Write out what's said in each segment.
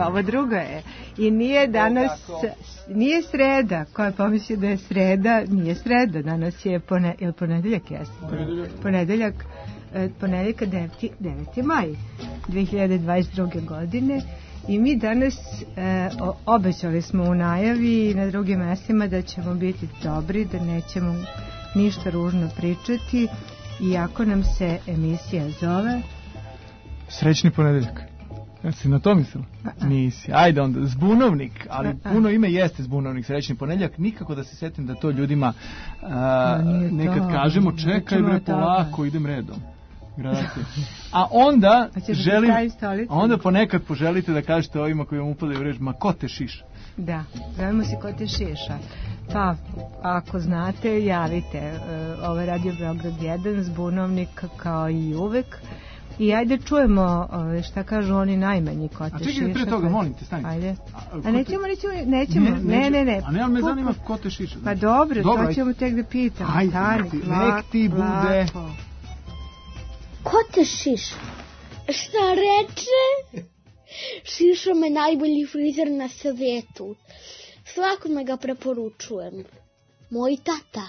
prva, ovo druga je. I nije danas, nije sreda, ko je pomislio da je sreda, nije sreda, danas je ponedeljak, jeste. Ponedeljka 9. maj 2022. godine. I mi danas obećali smo u najavi i na drugim mestima da ćemo biti dobri, da nećemo ništa ružno pričati, iako nam se emisija zove Srećni ponedeljak. Jesi na to mislila? Nisi. Ajde onda, Zbunovnik, ali puno ime jeste Zbunovnik, Srećni ponedeljak, nikako da se setim da to ljudima nekad kažemo, čekaj bre, polako, idem redom. Gradacije. A onda ponekad poželite da kažete ovima koji vam upadaju u reč, ma ko te šiša? Da, zovemo se ko te šiša. Pa, ako znate, javite. Ovo je Radio Beograd 1, Zbunovnik kao i uvek. I ajde čujemo šta kažu oni najmanji ko te šiša. A čekaj, pre toga, molim te, stanite. Ajde. A nećemo. Ne. A ne, ali me zanima ko te šiša. Pa dobro, to ćemo tek da pitamo. Ajde, nek ti bude. Ko te šiša? Šta reče? Šiša me najbolji frizer na svijetu. Svakome ga preporučujem. Moj tata.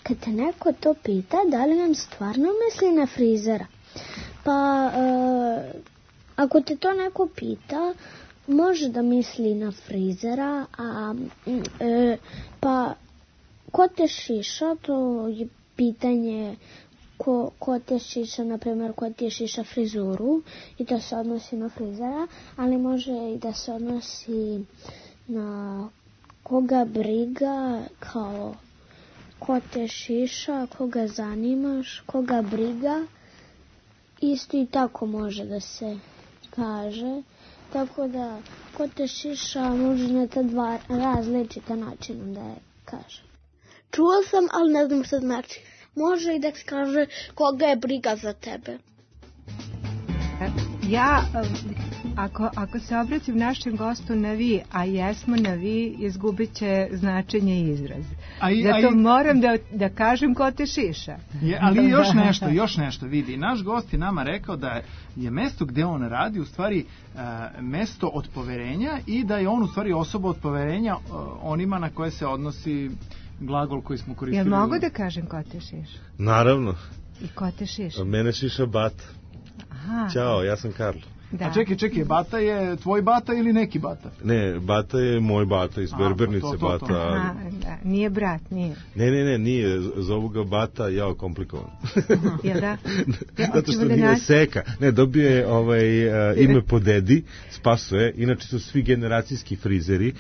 Kad te neko to pita, da li nam stvarno misli na frizera? Pa, ako te to neko pita, može da misli na frizera, pa ko te šiša, to je pitanje ko te šiša, na primjer, ko te šiša frizuru i to se odnosi na frizera, ali može i da se odnosi na koga briga, kao ko te šiša, koga zanimaš, koga briga. Isto i tako može da se kaže. Tako da, ko te šiša može na ta dva različita načina da je kaže. Čuo sam, ali ne znam šta znači. Može i da se kaže koga je briga za tebe. Ja, ako se obratim našem gostu na vi, a jesmo na vi, izgubit će značenje i izraz. Zato moram da kažem ko te šiša. Ali još nešto vidi. Naš gost je nama rekao da je mesto gde on radi u stvari mesto od poverenja i da je on u stvari osoba od poverenja onima na koje se odnosi glagol koji smo koristili. Jel mogu da kažem ko te šiša? Naravno. I ko te šiša? Mene šiša Bata. Aha. Ćao, ja sam Karlo. Da. A čekaj, Bata je tvoj Bata ili neki Bata? Ne, Bata je moj Bata iz Berbernice. To. Bata. Aha, da. Nije brat, nije. Ne, nije. Zovu ga Bata, jao, komplikovan. Jel da? Zato što nije Seka. Ne, dobio je ime po dedi, Spasuje. Inače su svi generacijski frizeri.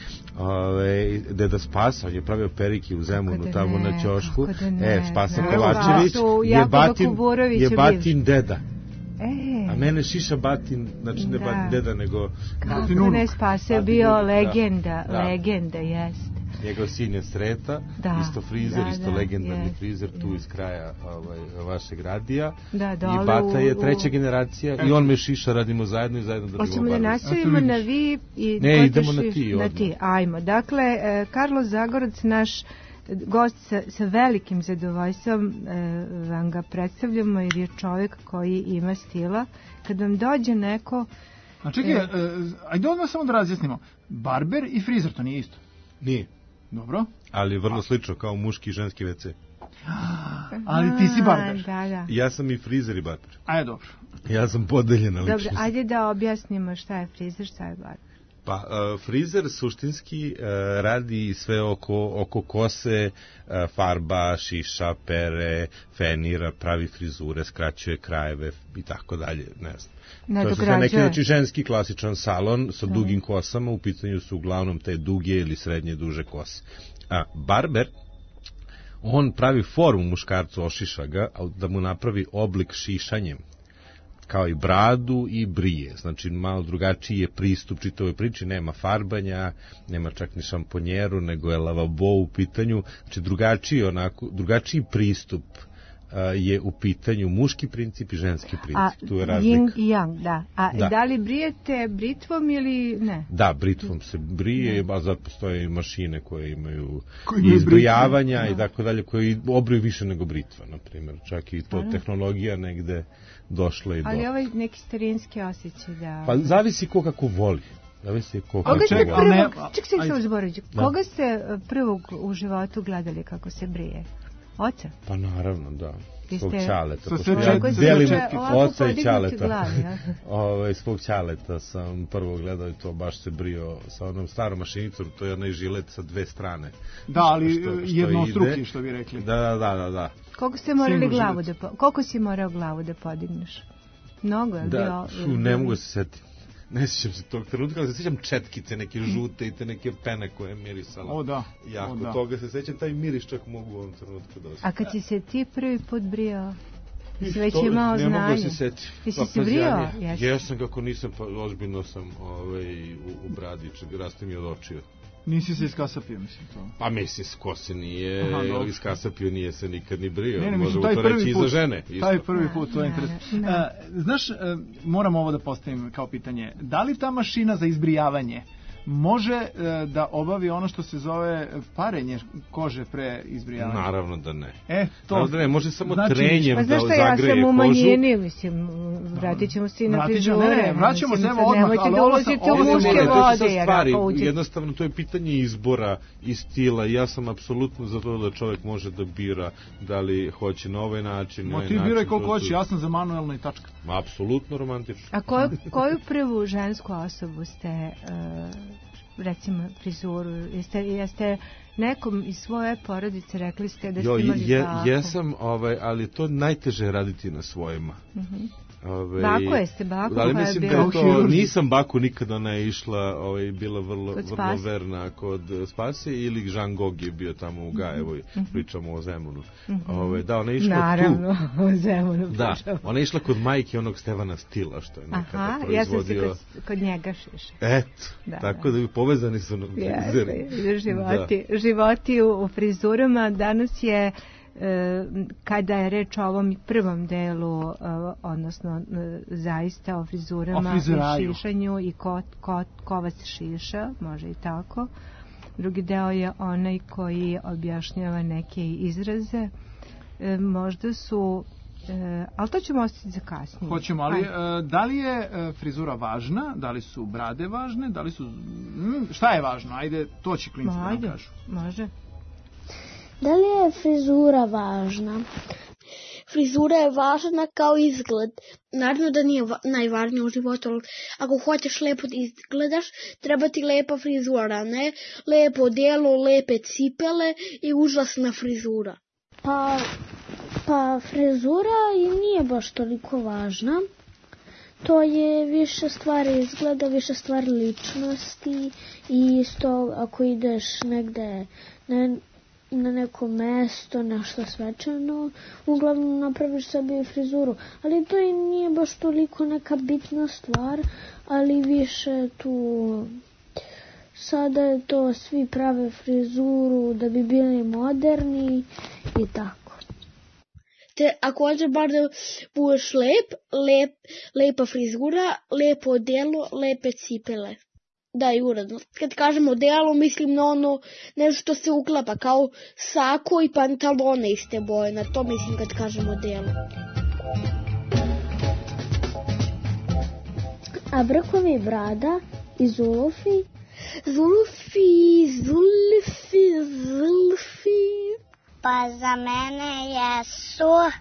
Deda Spasa, on je pravio perike u Zemunu, tamo na ćošku. Spasa Kovačević je Batin deda. A mene šiša Batin, znači ne Batin deda, nego kako ne Spasa je bio legenda, jeste. Njegov sin je Sreta, isto frizer, isto legendarni frizer tu iz kraja vašeg radija. I Bata je treća generacija i on me šiša, radimo zajedno i zajedno držimo barbe. Hoćemo da nastavimo na vi i ne, idemo na ti. Ajmo, dakle, Karlo Zagorac, naš gost, sa velikim zadovoljstvom vam ga predstavljamo, jer je čovjek koji ima stila. Kad vam dođe neko... A čekaj, ajde odmah samo da razjasnimo. Barber i frizer, to nije isto? Nije. Dobro. Ali vrlo slično, kao muški i ženski WC. Ali ti si barber. Da. Ja sam i frizer i barber. Ajde, dobro. Ja sam podeljena ličnost. Dobro, ajde da objasnimo šta je frizer, šta je barber. Pa, frizer suštinski radi sve oko kose, farba, šiša, pere, fenira, pravi frizure, skraćuje krajeve i tako dalje, ne znam. To je sve neki, znači, ženski klasičan salon sa dugim kosama, u pitanju su uglavnom te duge ili srednje duže kose. A barber, on pravi formu muškarcu, ošiša ga, ali da mu napravi oblik šišanjem, kao i bradu i brije. Znači, malo drugačiji je pristup čitavoj priči, nema farbanja, nema čak ni šamponjeru, nego je lavabo u pitanju. Znači, drugačiji pristup je u pitanju muški princip i ženski princip. Tu je razlika. Yin i yang, da. Da li brijete britvom ili ne? Da, britvom se brije, a zato postoje mašine koje imaju izbrijavanja i tako dalje, koje obriju više nego britva, na primjer. Čak i to tehnologija negde došla i do... Ali ovaj neki starinski osjećaj da... Pa zavisi ko kako voli. Koga ste prvog u životu gledali kako se brije? Oca? Pa naravno, da. Svog ćaleta. Delim oca i ćaleta. Svog ćaleta sam prvo gledao i to baš se brio sa onom starom mašinicom, to je onaj žilet sa dve strane. Da, ali jednostruki, što bi rekli. Da. Koliko si morao glavu da podigneš? Mnogo je bio... Ne mogu se setiti. Ne sjećam se tog trenutka, ali se sjećam četkice, neke žute i te neke pene koje je mirisala. O da. Jako toga se sjećam, taj miris čak mogu u ovom trenutku da osjećam. A kad si se ti prvi put brijao, si već imao znanje? Ne mogu se setiti. Ti si se brijao? Jesam, kako nisam, pa ozbiljno sam u bradi, raste mi od očiju. Nisi se iskasapio, mislim to. Pa mislim, ko se nije iskasapio, nije se nikad ni brio. Ne, možemo to reći i za žene. Taj prvi put, to je interesantno. Znaš, moram ovo da postavim kao pitanje. Da li ta mašina za izbrijavanje može da obavi ono što se zove parenje kože pre izbrijavanja? Naravno da ne. To da ne, može samo trenjem da zagreje kožu. Ja sam u manjini, mislim, vratit ćemo se i na frizure. Ne, vraćamo se evo odmah. Nemojte da ulazite u muške vode. Jednostavno, to je pitanje izbora i stila. Ja sam apsolutno za to da čovjek može da bira da li hoće na ovaj način. Ti biraj koliko hoće, ja sam za manuelno i tačka. Apsolutno romantično. A koju prvu žensku osobu ste... recimo frizuru, jeste nekom iz svoje porodice rekli ste da ste imali baku? Jesam, ali to najteže raditi na svojima. Baku jeste, baku ali mislim da to, nisam baku nikada, ona je išla, bila vrlo verna kod Spasije, ili Žan Gog je bio tamo u Gajevoj, pričamo o Zemunu. Da, ona je išla naravno, o Zemunu da, ona je išla kod majke onog Stevana Stila, što je nekada proizvodio. Ja sam se kod njega šiša. Tako da bi povezani su životi u frizurama. Danas je kada je reč o ovom prvom delu, odnosno zaista o frizurama i šišanju i ko vas šiša, može i tako. Drugi deo je onaj koji objašnjava neke izraze. Možda su, ali to ćemo ostaviti za kasnije. Hoćemo, ali da li je frizura važna? Da li su brade važne? Da li su... šta je važno? Ajde, to će klinci da nam kažu. Može. Da li je frizura važna? Frizura je važna kao izgled. Naravno da nije najvažnije u životu, ali ako hoćeš lepo izgledaš, treba ti lepa frizura, ne? Lepo odijelo, lepe cipele i užasna frizura. Pa frizura nije baš toliko važna. To je više stvari izgleda, više stvari ličnosti i isto ako ideš negde na neko mesto, nešto svečano, uglavnom napraviš sebi frizuru. Ali to i nije baš toliko neka bitna stvar, ali više tu... Sada je to, svi prave frizuru da bi bili moderni i tako. Te također bar da budeš lepa frizura, lepo odijelo, lepe cipele. Da, i uredno. Kad kažem odijelo, mislim na ono nešto što se uklapa, kao sako i pantalone iste boje. Na to mislim kad kažem odijelo. A brkovi i brada i zulufi? Zulfi. Pa za mene jesu.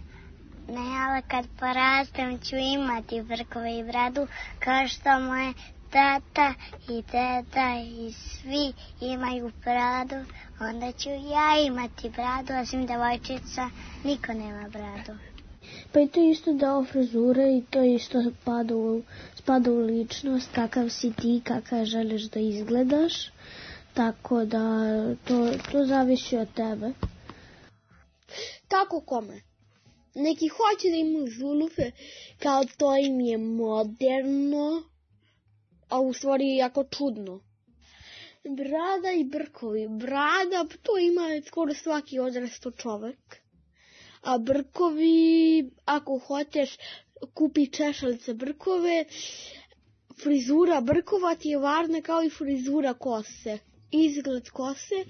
Ne, ali kad porastem ću imati brkove i bradu, kao što moje tata i teta i svi imaju bradu, onda ću ja imati bradu, osim devojčica, niko nema bradu. Pa i to je isto deo frizure i to isto spada u ličnost, kakav si ti, kakav želiš da izgledaš, tako da to zavisi od tebe. Kako kome? Neki hoće da imaju zulufe, kao to im je moderno, a u stvari jako čudno. Brada i brkovi. Brada, to ima skoro svaki odrasto čovek. A brkovi, ako hoćeš, kupi češalice brkove. Frizura brkova ti je važna kao i frizura kose. Izgled kose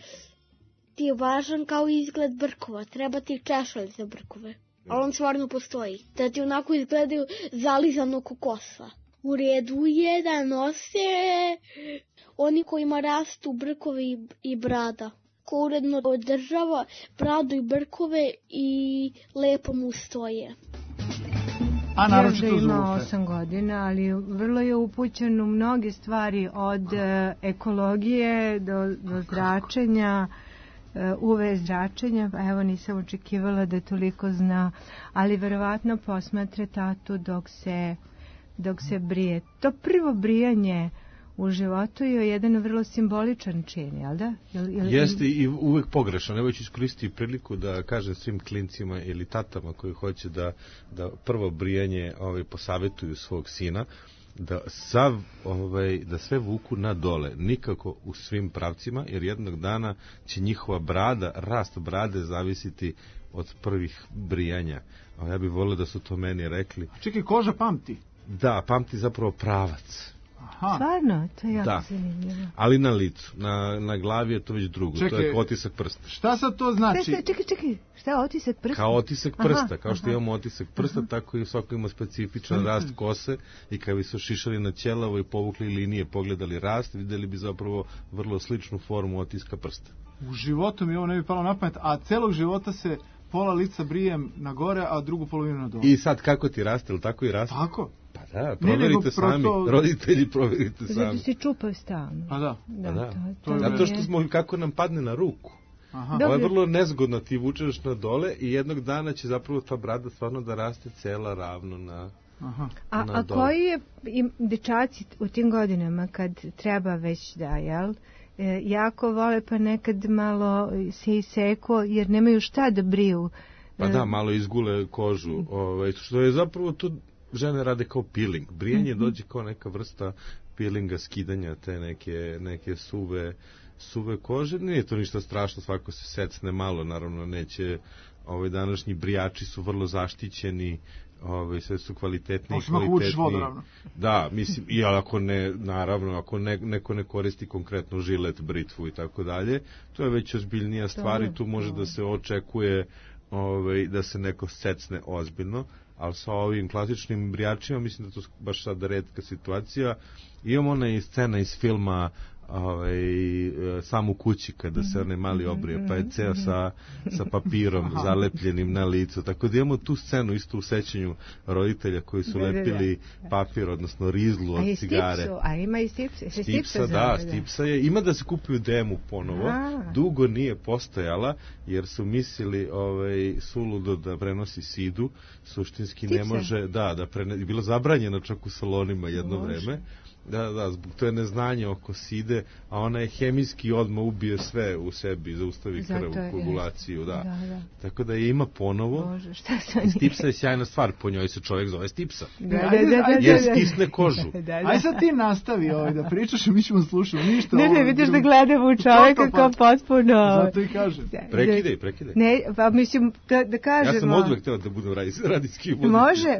ti je važan kao i izgled brkova. Treba ti češalice brkove. Ali on stvarno postoji. Da ti onako izgledaju zalizano ko kosa. u redu je da nose oni kojima rastu brkovi i brada. Ko uredno održava bradu i brkove i lepo mu stoje. A naročito Još da ima Zulufe. 8 godina, ali vrlo je upućen u mnoge stvari, od ekologije do zračenja, UV zračenja. Evo, nisam očekivala da toliko zna, ali verovatno posmatre tatu dok se brije. To prvo brijanje u životu je jedan vrlo simboličan čin, jel da? Jeste i uvek pogrešan. Evo ću iskoristiti priliku da kažem svim klincima ili tatama koji hoće da prvo brijanje posavetuju svog sina, da sve vuku na dole, nikako u svim pravcima, jer jednog dana će njihova brada, rast brade zavisiti od prvih brijanja. A ja bih volio da su to meni rekli. Čekaj, koža pamti. Da, pamti zapravo pravac. Aha. Stvarno, to je jako zanimljivo. Ali na licu, na glavi je to već drugo. Čekaj, to je otisak prsta. Šta sad to znači? Čekaj, šta je otisak prsta? Kao otisak prsta, kao što imamo otisak prsta, tako i svako ima specifičan rast kose i kada bi se šišali na ćelavo i povukli linije, pogledali rast, videli bi zapravo vrlo sličnu formu otiska prsta. U životu mi ovo ne bi palo na pamet, a celog života se pola lica brijem na gore, a drugu polovinu na dole. I sad kako ti raste, ili tako i raste? Tako? Pa da, proverite sami, roditelji proverite sami. Zato si čupao stalno. Pa da. Zato što smo, kako nam padne na ruku. Aha. Ovo je vrlo nezgodno, ti vučeš na dole i jednog dana će zapravo ta brada stvarno da raste cela ravno na... Aha. A koji je dečaci u tim godinama kad treba već da, jel? Jako vole pa nekad malo se iseko jer nemaju šta da briju. Pa da, malo izgule kožu. Što je zapravo tu žene rade kao peeling. Brijanje dođe kao neka vrsta peelinga, skidanja te neke suve kože. Nije to ništa strašno, svako se secne malo, naravno neće, današnji brijači su vrlo zaštićeni, sve su kvalitetni i kvalitetni. Da, mislim, i ako ne, naravno, ako neko ne koristi konkretno žilet, britvu i tako dalje, to je već ozbiljnija stvar i tu može da se očekuje da se neko secne ozbiljno, ali sa ovim klasičnim brijačima mislim da to baš sad retka situacija. Imamo ona i scena iz filma Sam u kući kada se onaj mali obrije, pa je ceo sa papirom zalepljenim na licu, tako da imamo tu scenu isto u sećanju roditelja koji su lepili papir, odnosno rizlu od cigare. A ima i stipsa. Da, stipsa je, ima da se kupuju demu ponovo, dugo nije postojala jer su mislili suludo da prenosi sidu, suštinski ne može, bilo zabranjeno čak u salonima jedno vreme. Da, zbog to je neznanje oko side, a ona je hemijski odmah ubije sve u sebi, zaustavi krv, koagulaciju, da. Tako da je ima ponovo. Bože, šta sam nije? Stipsa je sjajna stvar, po njoj se čovjek zove stipsa. Jer stisne kožu. Aj sad ti nastavi da pričaš i mi ćemo slušati ništa. Ne, vidiš da gledamo u čovjeka kao potpuno... Zato i kažem. Prekidaj. Ne, pa mislim da kažemo... Ja sam odvek teo da budem radijski voditelj. Može,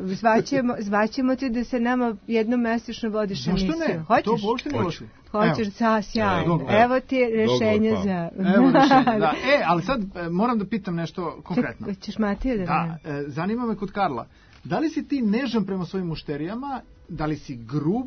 zvaćemo ti da se nama jednomesečno vodiš emisiju. Ne, hoćeš? To uopšte ne hoću. Hoćeš, sjajno. Evo ti rešenje za... Evo rešenje, da. Ali sad moram da pitam nešto konkretno. Ćeš Matiju da... Zanima me kod Karla. Da li si ti nežan prema svojim mušterijama? Da li si grub?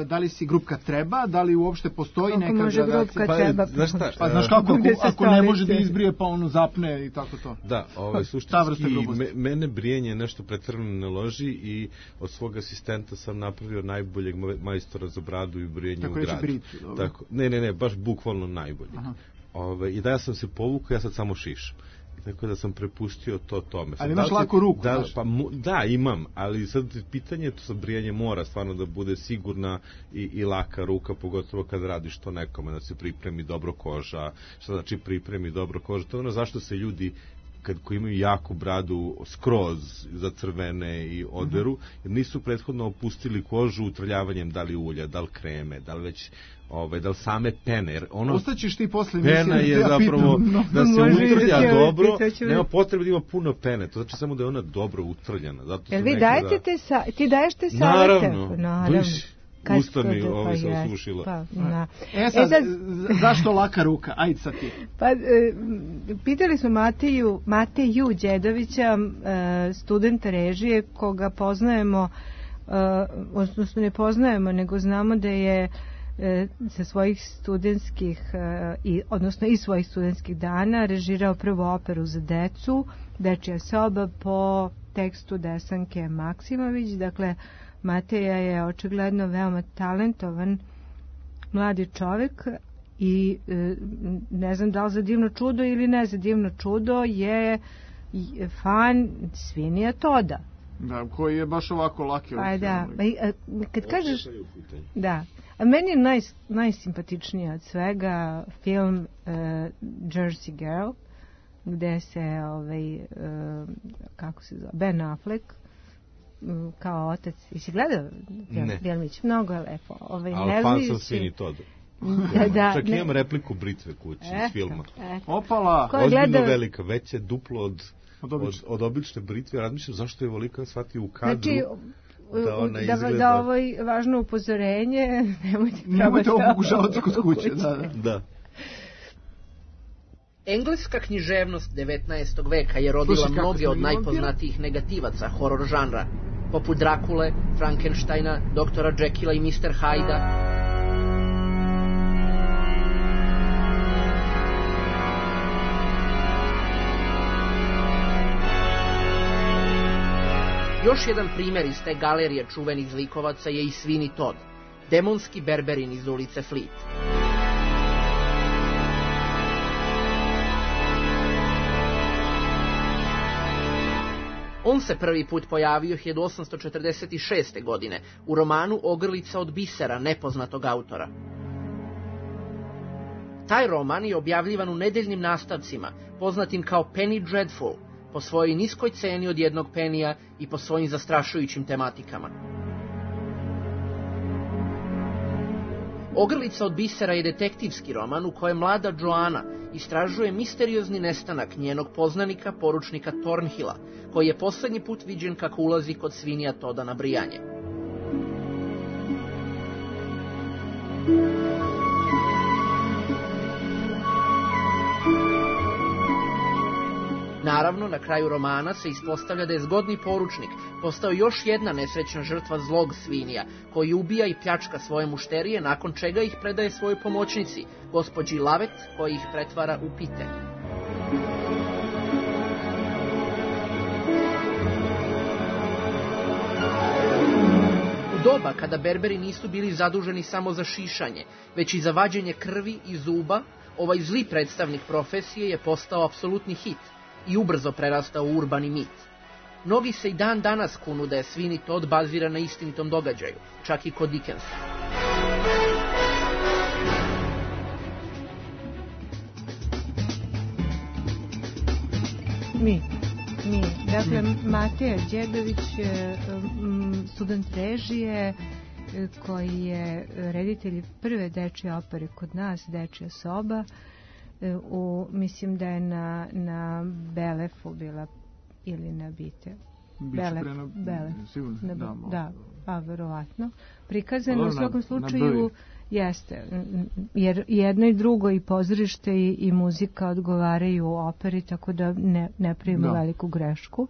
Da li si grub kad treba? Da li uopšte postoji neka gradacija? Grub kad treba. Znaš kako, ako ne može da izbrije pa ono zapne i tako to. Da, suštinski mene brijenje nešto pretrano ne loži i od svog asistenta sam napravio najboljeg majstora za bradu i brijenje u gradu. Tako, ne, baš bukvalno najbolji. I da ja sam se povukao, ja sad samo šišam. Tako da sam prepustio to tome. Ali imaš laku ruku. Da, imam, ali sad pitanje to sa brijanjem mora stvarno da bude sigurna i laka ruka, pogotovo kad radiš to nekome, da se pripremi dobro koža. Šta znači pripremi dobro koža? To je ono zašto se ljudi koji imaju jaku bradu skroz zacrvene i oderu, jer nisu prethodno opustili kožu utrljavanjem da li ulja, da li kreme, da li već da li same pene. Ostaćeš ti posle pena je zapravo da se utrlja dobro, nema potrebe da ima puno pene, to znači samo da je ona dobro utrljana. Jel vi dajete ti daješ te savete? Naravno. Usta mi se osušila. Sad, zašto laka ruka? Ajde sad ti. Pa, pitali smo Mateju Đedovića, studenta režije, koga poznajemo odnosno ne poznajemo, nego znamo da je sa svojih studentskih odnosno iz svojih studentskih dana režirao prvu operu za decu, Dečija soba, po tekstu Desanke Maksimović. Dakle, Mateja je očigledno veoma talentovan mladi čovjek i ne znam da li za Divno čudo ili ne za Divno čudo je fan Svinija Toda. Da, koji je baš ovako laki. Pa da, kad kažeš... Da, a meni je najsimpatičniji od svega film Jersey Girl, gde se kako se zove, Ben Affleck kao otac. Jesi gledao filmić? Mnogo je lepo. Ali fan sam Svini Todu. Čak imam repliku Britve kući iz filma. Opala! Ozbiljno velika, već je duplo od obične Britve. Razmišljam zašto je volika shvatio u kadru. Znači, da ovo je važno upozorenje. Nemojte obugužavati kod kuće. Da. Engleska književnost 19. veka je rodila mnoge od najpoznatijih negativaca horor žanra, poput Drakule, Frankensteina, doktora Jekylla i Mr. Hyda. Još jedan primjer iz te galerije čuvenih zlikovaca je i Sweeney Todd, demonski berberin iz ulice Fleet. On se prvi put pojavio 1846. godine u romanu Ogrlica od bisera nepoznatog autora. Taj roman je objavljivan u nedeljnim nastavcima, poznatim kao Penny Dreadful, po svojoj niskoj ceni od 1 penija i po svojim zastrašujućim tematikama. Ogrlica od bisera je detektivski roman u kojem mlada Joanna istražuje misteriozni nestanak njenog poznanika, poručnika Thornhilla, koji je posljednji put viđen kako ulazi kod Svinija Toda na brijanje. Naravno, na kraju romana se ispostavlja da je zgodni poručnik postao još jedna nesrećna žrtva zlog Svinija, koji ubija i pljačka svoje mušterije, nakon čega ih predaje svojoj pomoćnici, gospođi Lavet, koji ih pretvara u pite. U doba kada berberi nisu bili zaduženi samo za šišanje, već i za vađenje krvi i zuba, ovaj zli predstavnik profesije je postao apsolutni hit i ubrzo prerastao u urbani mit. Mnogi se i dan danas kunu da je Sweeney Todd baziran na istinitom događaju, čak i kod Dickensa. Dakle, Mateja Đedović, student režije, koji je reditelj prve dečje opere kod nas, Dečija soba. Mislim da je na Belefu bila ili na Bite. Belef. Da, pa verovatno. Prikazano u svakom slučaju jeste, jer jedno i drugo i pozorište i muzika odgovaraju operi, tako da ne pravimo veliku grešku.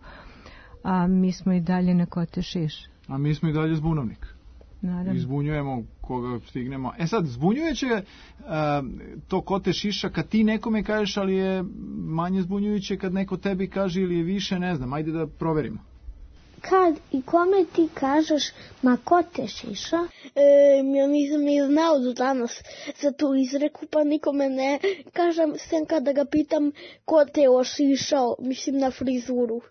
A mi smo i dalje na Kote Šiš. A mi smo i dalje Zbunovnik. Naravno. Izbunjujemo koga stignemo. Sad, zbunjujuće to Kote Šiša kad ti nekome kažeš, ali je manje zbunjujuće kad neko tebi kaže ili je više, ne znam, ajde da proverimo. Kad i kome ti kažeš ma Kote Šiša? Ja nisam ni znao do danas za tu izreku, pa nikome ne kažem, sem kada ga pitam ko te ošišao, mislim na frizuru.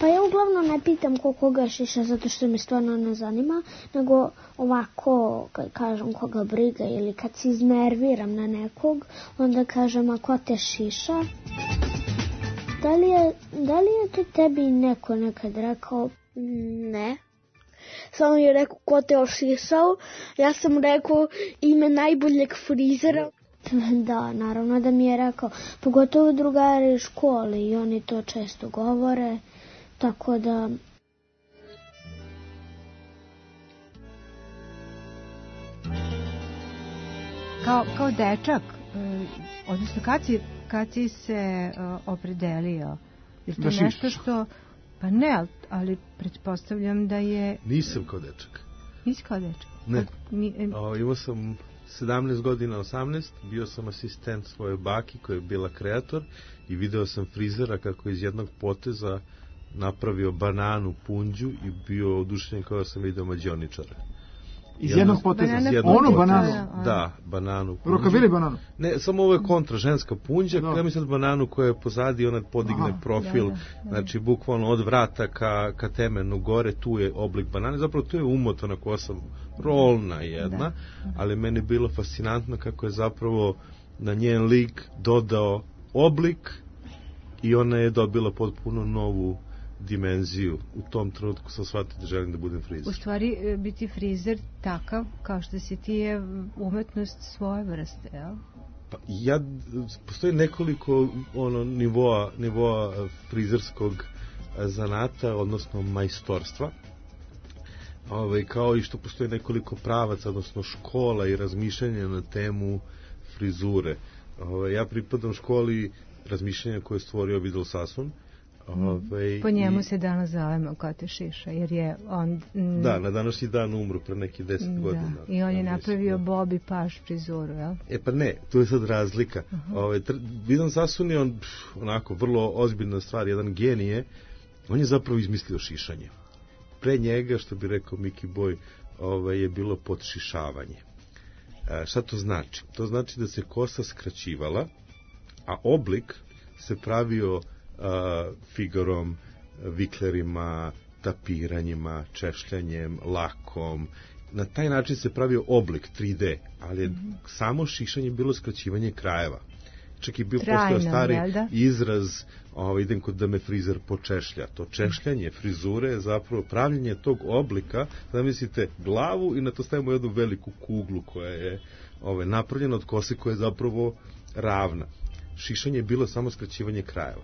Pa ja uglavnom ne pitam koga šiša, zato što me stvarno ne zanima, nego ovako kad kažem koga briga ili kad se iznerviram na nekog, onda kažem a ko te šiša? Da li je to tebi neko nekad rekao? Ne. Samo je rekao ko te ošišao. Ja sam rekao ime najboljeg frizera. Da, naravno da mi je rekao. Pogotovo drugari u školi i oni to često govore. Tako da... Kao dečak, odnosno kad si se opredelio? Je to nešto što... Pa ne, ali pretpostavljam da je... Nisam kao dečak. Nisi kao dečak? Ne. Imao sam 17 godina, 18, bio sam asistent svoje baki koja je bila kreator i video sam frizera kako iz jednog poteza napravio bananu punđu i bio oduševljen kao da sam video mađioničara. Iz jednog poteza? Onu bananu? Da, bananu punđu. Rokavili bananu? Ne, samo ovo je kontra, ženska punđa, ja mislim bananu koja je pozadi, ona podigne profil, znači bukvalno od vrata ka temenu gore, tu je oblik banane, zapravo tu je umotana kosa, rolna jedna, ali meni je bilo fascinantno kako je zapravo na njen lik dodao oblik i ona je dobila potpuno novu dimenziju. U tom trenutku sam shvatio da želim da budem frizer. U stvari, biti frizer takav kao što si ti je umetnost svoje vrste, jel? Pa postoji nekoliko nivoa frizerskog zanata, odnosno majstorstva. Kao i što postoji nekoliko pravaca, odnosno škola i razmišljanja na temu frizure. Ja pripadam školi razmišljanja koje je stvorio Vidal Sassoon. Po njemu se danas zovemo Kote Šiša, jer je on... Da, na današnji dan umro pre neki 10 godina. I on je napravio Bobby Paš frizuru, jel? Pa ne, tu je sad razlika. Vidal Sassoon je on onako vrlo ozbiljna stvar, jedan genije. On je zapravo izmislio šišanje. Pre njega, što bi rekao Miki Boj, je bilo podšišavanje. Šta to znači? To znači da se kosa skraćivala, a oblik se pravio figorom, viklerima, tapiranjima, češljanjem, lakom. Na taj način se pravio oblik 3D, ali je samo šišanje bilo skraćivanje krajeva. Čak i bio postao stari izraz, idem kod da me frizer počešlja. To češljanje frizure je zapravo pravljenje tog oblika, zamislite glavu i na to stavimo jednu veliku kuglu koja je napravljena od kose koja je zapravo ravna. Šišanje je bilo samo skraćivanje krajeva.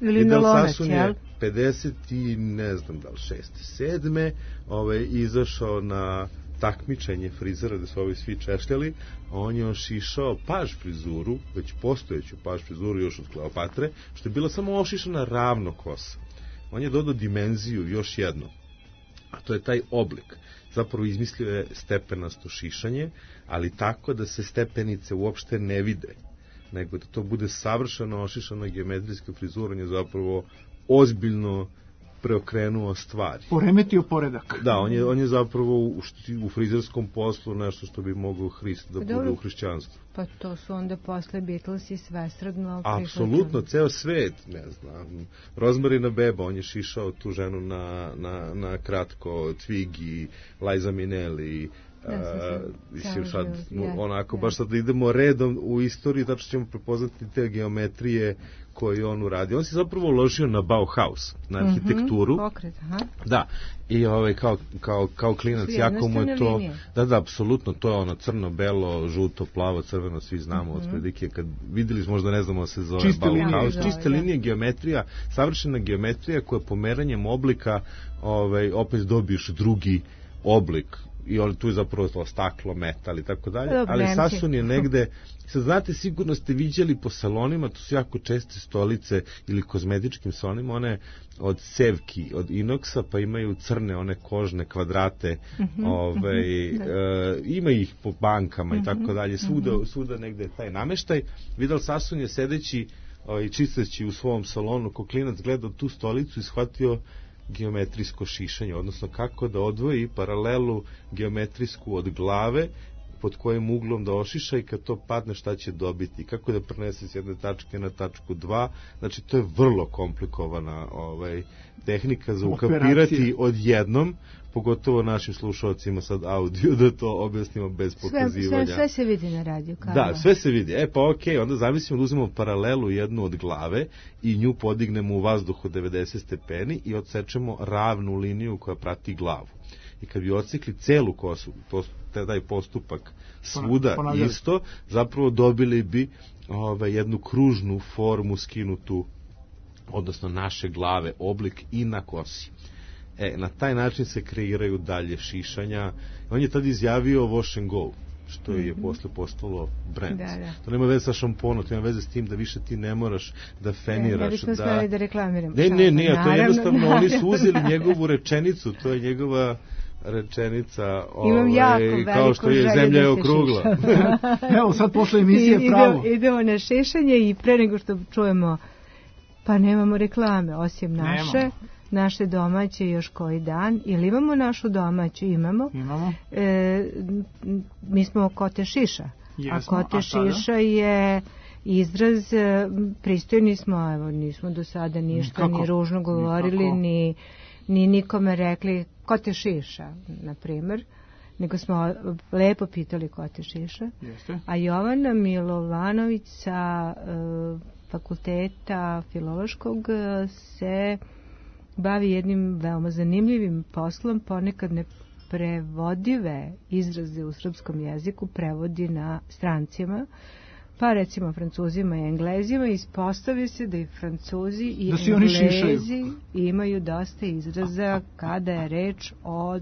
Ili na lonac, jel? 50 i ne znam da li 6. 7. Izašao na takmičenje frizera da su ovi svi češljali, a on je ošišao paž frizuru, već postojeću paž frizuru još od Kleopatre, što je bila samo ošišana ravno kosa. On je dodao dimenziju još jedno, a to je taj oblik. Zapravo izmislio je stepenasto šišanje, ali tako da se stepenice uopšte ne vide, nego da to bude savršeno ošišana geometrijska frizura. On je zapravo ozbiljno preokrenuo stvari. Poremetio poredak. Da, on je zapravo u frizerskom poslu nešto što bi mogao Hrist da bude u hrišćanstvu. Pa to su onda posle Beatles i svestradno prihvatili. Apsolutno, ceo svet, ne znam. Rosemary Beba, on je šišao tu ženu na kratko, Twiggy, Liza Minnelli, baš sad da idemo redom u istoriji, tačno ćemo prepoznati te geometrije koje on uraди. On se zapravo uložio na Bauhaus, na arhitekturu. Pokret, da, i kao klinac, jako mu je to... Da, apsolutno, to je ono crno, belo, žuto, plavo, crveno, svi znamo od prilike, kad videli smo, možda ne znamo se zove Bauhaus. Čiste linije, geometrija, savršena geometrija koja pomeranjem oblika opet dobiješ drugi oblik. I tu je zapravo staklo, metal i tako dalje, ali Sassoon je negde, sad znate, sigurno ste viđali po salonima, to su jako česte stolice ili kozmetičkim salonima, one od cevki, od inoksa, pa imaju crne one kožne kvadrate, ima ih po bankama i tako dalje, svuda negde je taj nameštaj. Vidal Sassoon je sedeći i čisteći u svom salonu, ko klinac gledao tu stolicu i shvatio geometrijsko šišanje, odnosno kako da odvoji paralelu geometrijsku od glave, pod kojim uglom da ošiša i kad to padne šta će dobiti, kako da prenese s jedne tačke na tačku 2, znači to je vrlo komplikovana tehnika za ukapirati odjednom, pogotovo našim slušalcima sad audio, da to objasnimo bez pokazivanja. Sve se vidi na radiju. Da, sve se vidi. Pa okej, onda zamislimo da uzmemo paralelu jednu od glave i nju podignemo u vazduhu 90 stepeni i odsečemo ravnu liniju koja prati glavu. I kad bi odsekli celu kosu, taj postupak svuda isto, zapravo dobili bi jednu kružnu formu skinutu, odnosno naše glave, oblik i na kosi. Na taj način se kreiraju dalje šišanja. On je tad izjavio wash and go. što je posle postalo brand. Da. To nema veze sa šamponom, to ima veze s tim da više ti ne moraš da feniraš. Ne bismo smeli da reklamiramo. Ne, to je jednostavno, oni su uzeli njegovu rečenicu, to je njegova rečenica, kao što je zemlja je okrugla. Evo, sad posle emisije pravo. Idemo na šišanje i pre nego što čujemo, pa nemamo reklame, osim naše domaće još koji dan. Ili imamo našu domaću? Imamo. Mi smo Kote Šiša. A Kote Šiša je izraz, pristojni smo, evo, nismo do sada ništa ni ružno govorili, ni nikome rekli Kote Šiša, na primjer, nego smo lepo pitali Kote Šiša. A Jovana Milovanović sa fakulteta filološkog se bavi jednim veoma zanimljivim poslom, ponekad neprevodive izraze u srpskom jeziku prevodi na strancima, pa recimo Francuzima i Englezima. Ispostavi se da i Francuzi i Englezi imaju dosta izraza kada je reč o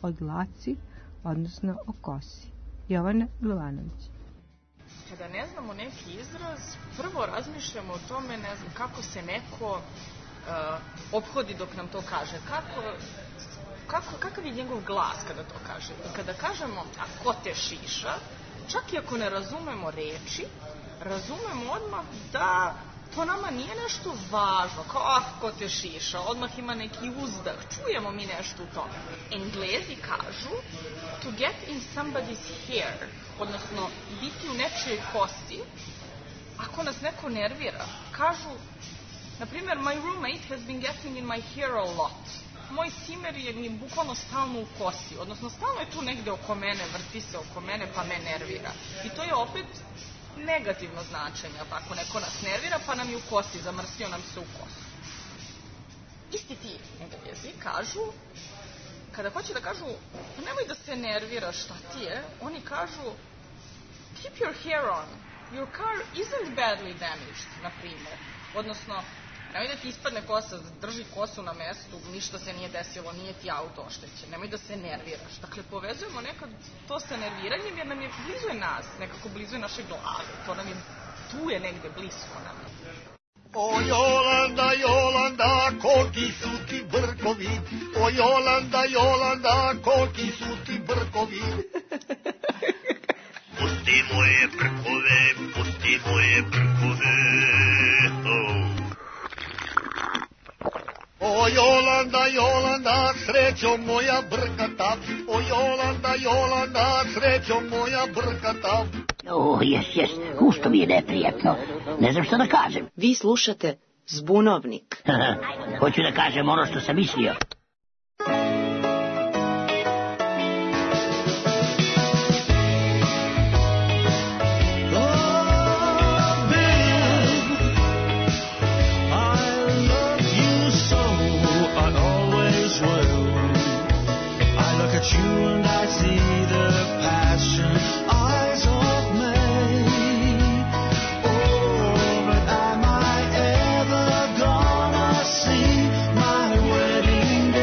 dlaci, odnosno o kosi. Jovana Milovanović. Kada ne znamo neki izraz, prvo razmišljamo o tome, ne znam, kako se neko ophodi dok nam to kaže. Kakav je njegov glas kada to kaže? I kada kažemo, a ko te šiša, čak i ako ne razumemo reči, razumemo odmah da to nama nije nešto važno, kao ko te šiša, odmah ima neki uzdah, čujemo mi nešto u tome. Englezi kažu to get in somebody's hair, odnosno biti u nečijoj kosi, ako nas neko nervira. Kažu, na primjer, my roommate has been getting in my hair a lot. Moj cimer je mi bukvalno stalno u kosi, odnosno stalno je tu negde oko mene, vrti se oko mene pa me nervira. I to je opet negativno značenje, ako neko nas nervira pa nam je u kosi, zamrsio nam se u kosu. Isti ti Englezi kažu, kada hoće da kažu nemoj da se nerviraš, šta ti je, oni kažu keep your hair on, your car isn't badly damaged, na primjer. Odnosno, nemoj da ti ispadne kosa, drži kosu na mestu, ništa se nije desilo, nije ti auto oštećen, nemoj da se nerviraš. Dakle, povezujemo nekad to sa nerviranjem jer nam je blizu je nas, nekako blizu je naše glave, to nam je, tu je negde blisko nam. O Jolanda, Jolanda, koliki su ti brkovi, o Jolanda, Jolanda, koliki su ti brkovi. Pusti moje brkove, pusti moje brkove, O Jolanda, Jolanda, srećo moja brkata, o Jolanda, Jolanda, srećo moja brkata. Jes, gusto mi je neprijatno, ne znam što da kažem. Vi slušate Zbunovnik. Hoću da kažem ono što sam mislio. You and I see the passion eyes of May. Oh, but am I ever gonna see my wedding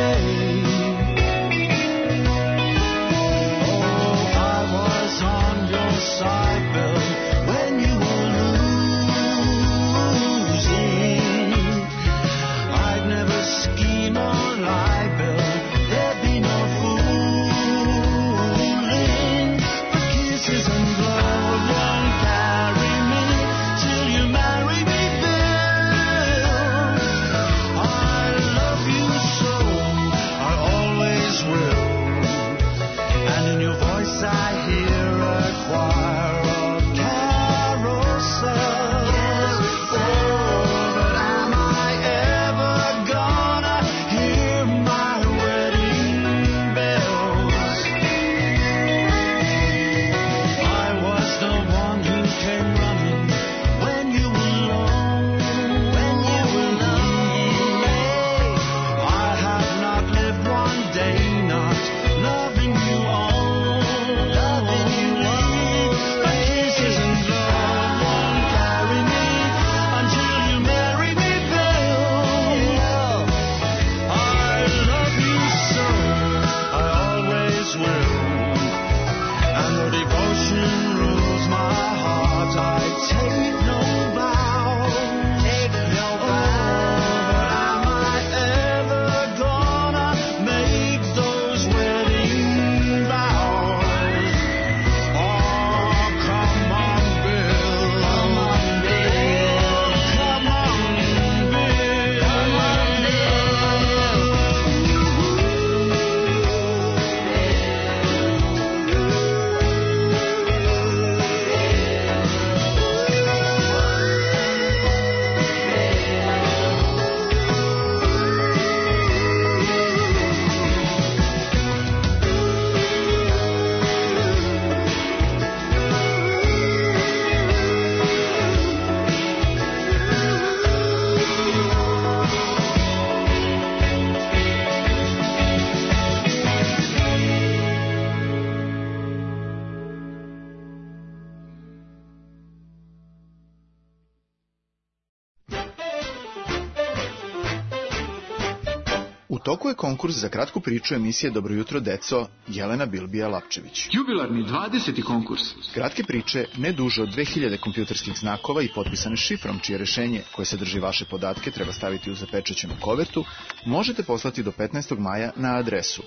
toku je konkurs za kratku priču emisije Dobro jutro, deco, Jelena Bilbija-Lapčević. Jubilarni 20. konkurs. Kratke priče, ne duže od 2000 kompjuterskih znakova i potpisane šifrom, čije rešenje koje sadrži vaše podatke treba staviti u zapečaćenu kovertu, možete poslati do 15. maja na adresu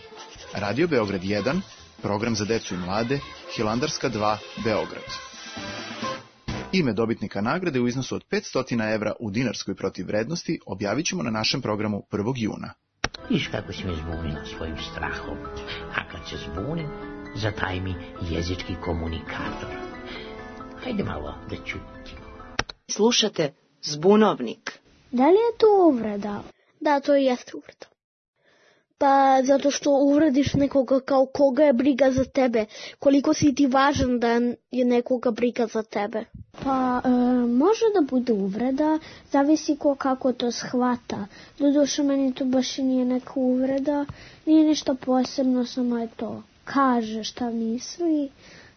Radio Beograd 1, program za decu i mlade, Hilandarska 2, Beograd. Ime dobitnika nagrade u iznosu od 500 evra u dinarskoj protivvrednosti objavit ćemo na našem programu 1. juna. Viš kako si me zbunila svojim strahom, a kad se zbunim, zataj mi jezički komunikator. Hajde malo da čutimo. Slušate Zbunovnik. Da li je to uvreda? Da, to jeste uvreda. Pa zato što uvrediš nekoga kao koga je briga za tebe. Koliko si ti važan da je nekoga briga za tebe. Pa može da bude uvreda, zavisi ko kako to shvata. Doduše meni to baš i nije neka uvreda, nije ništa posebno, samo je to. Kaže šta misli,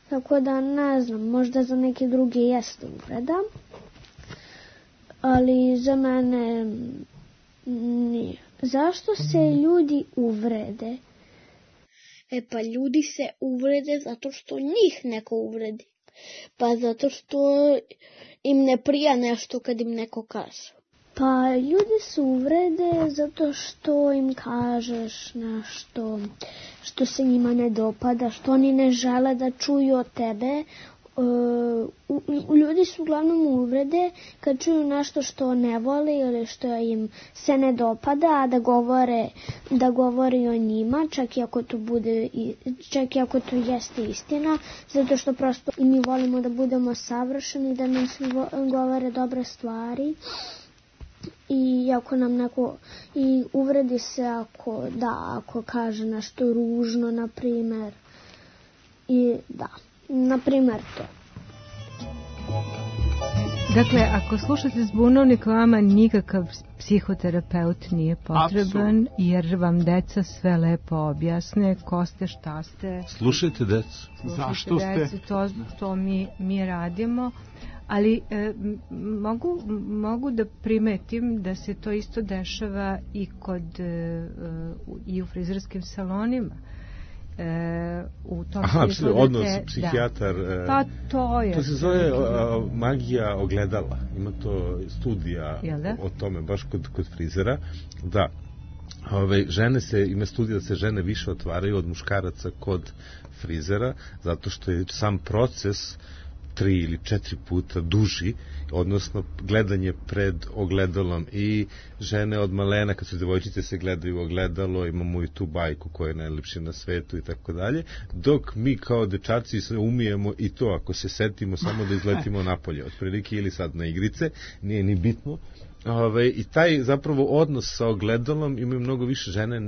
tako da ne znam, možda za neke druge jeste uvreda, ali za mene nije. Zašto se ljudi uvrede? Pa ljudi se uvrede zato što njih neko uvredi. Pa zato što im ne prija nešto kad im neko kaže. Pa ljudi se uvrede zato što im kažeš nešto što se njima ne dopada, što oni ne žele da čuju od tebe. Ljudi su uglavnom uvrede kad čuju nešto što ne vole ili što im se ne dopada, a da govori o njima, čak i ako to jeste istina, zato što prosto i mi volimo da budemo savršeni, da nam svi govore dobre stvari. I ako nam neko i uvredi se ako kaže nešto ružno, na primjer. I da, na primjer to. Dakle, ako slušate Zbunovnik, vama nikakav psihoterapeut nije potreban, jer vam deca sve lepo objasne ko ste, šta ste. Slušajte decu. Zašto ste? To mi radimo. Ali mogu da primetim da se to isto dešava i u frizerskim salonima. U tom odnos psihijatar. Pa to je. To se zove magija ogledala. Ima to studija o tome baš kod frizera. Da. Ima studija da se žene više otvaraju od muškaraca kod frizera, zato što je sam proces 3 ili 4 puta duži, odnosno gledanje pred ogledalom, i žene od malena, kad su devojčice, se gledaju u ogledalo, imamo i tu bajku koja je najlepša na svetu i tako dalje, dok mi kao dečaci se umijemo i to, ako se setimo, samo da izletimo napolje, otprilike, ili sad na igrice, nije ni bitno. I taj zapravo odnos sa ogledalom imaju mnogo više žene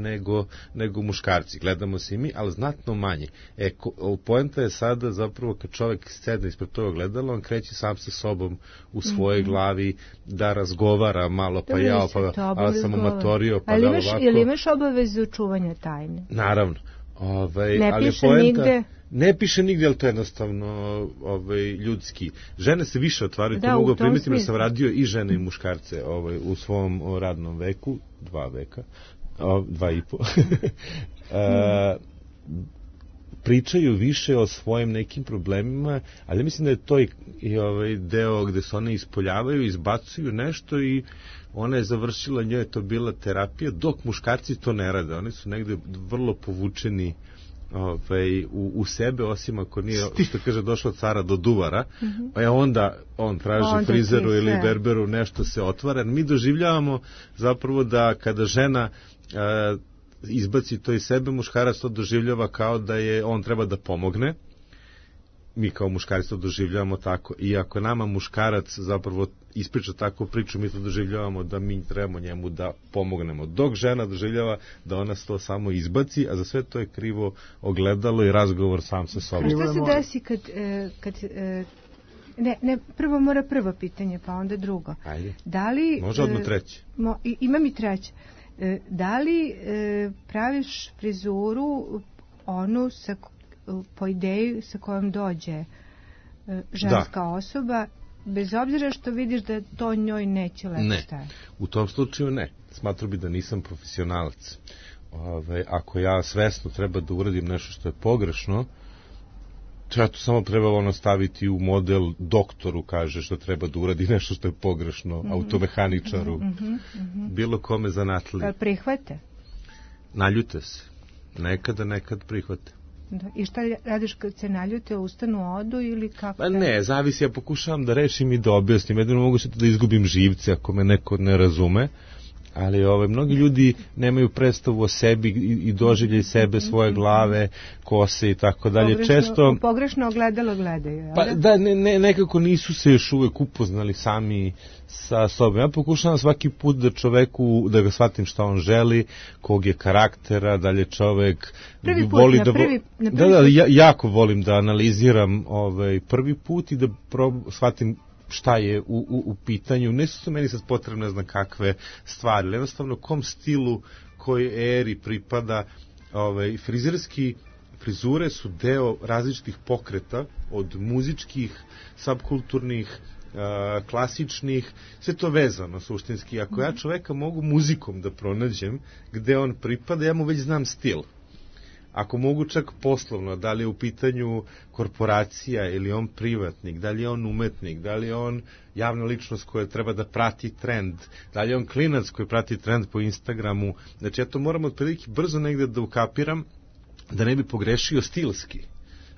nego muškarci. Gledamo se i mi, ali znatno manje. Poenta je sada zapravo kad čovjek sedne ispred tog ogledala, on kreće sam sa sobom u svojoj glavi da razgovara malo, pa ja sam amatorio, pa da ovako. Ili imaš obavezu čuvanja tajne? Naravno. Ne piše nigde. Ne piše nigdje, ali to je jednostavno ljudski. Žene se više otvaraju, to mogu primetiti, jer sam radio i žene i muškarce u svom radnom veku, 2 veka, 2,5. Pričaju više o svojim nekim problemima, ali mislim da je to i deo gde se one ispoljavaju, izbacuju nešto i ona je završila, njoj je to bila terapija, dok muškarci to ne rade. Oni su negde vrlo povučeni u sebe, osim ako nije, što kaže, došlo cara do duvara, pa onda on traži frizeru ili berberu, nešto se otvara. Mi doživljavamo zapravo da kada žena izbaci to iz sebe, muškarac to doživljava kao da je on treba da pomogne. Mi kao muškarci to doživljavamo tako, i ako nama muškarac zapravo ispriča takvu priču, mi to doživljavamo da mi trebamo njemu da pomognemo, dok žena doživljava da ona to samo izbaci, a za sve to je krivo ogledalo i razgovor sam sa sobom. Šta se desi kad prvo mora prvo pitanje, pa onda drugo. Ajde. Da li, može odmah treće. Imam i treće. Da li praviš frizuru onu po ideji sa kojom dođe ženska osoba, bez obzira što vidiš da to njoj neće lepo stajati? U tom slučaju ne. smatrao bi da nisam profesionalac. Ako ja svesno treba da uradim nešto što je pogrešno, ja to samo treba staviti u model doktoru, kaže što treba da uradi nešto što je pogrešno, automehaničaru, bilo kome zanatliji. Prihvate? Naljute se. Nekad prihvate. Da. I šta radiš kad se naljute, ustanu, odu ili kako? Pa ne, zavisi, ja pokušavam da rešim i da objasnim. Jedino mogu se da izgubim živce ako me neko ne razume. Ali mnogi ljudi nemaju predstavu o sebi i doživljaju sebe, svoje glave, kose i tako dalje. Često pogrešno ogledalo gledaju. Pa da, nekako nisu se još uvek upoznali sami sa sobom. Ja pokušavam svaki put da čoveku, da ga shvatim šta on želi, kog je karaktera, da li je čovek voli jako volim da analiziram prvi put i da shvatim šta je u pitanju. Ne su meni sad potrebne, ne znam kakve stvari, ali jednostavno kom stilu, kojoj eri pripada. Frizure su deo različitih pokreta, od muzičkih, subkulturnih, klasičnih, sve to vezano suštinski. Ako ja čoveka mogu muzikom da pronađem gde on pripada, ja mu već znam stil. Ako mogu čak poslovno, da li je u pitanju korporacija ili on privatnik, da li je on umetnik, da li je on javna ličnost koja treba da prati trend, da li je on klinac koji prati trend po Instagramu. Znači ja to moram otprilike brzo negde da ukapiram, da ne bi pogrešio stilski.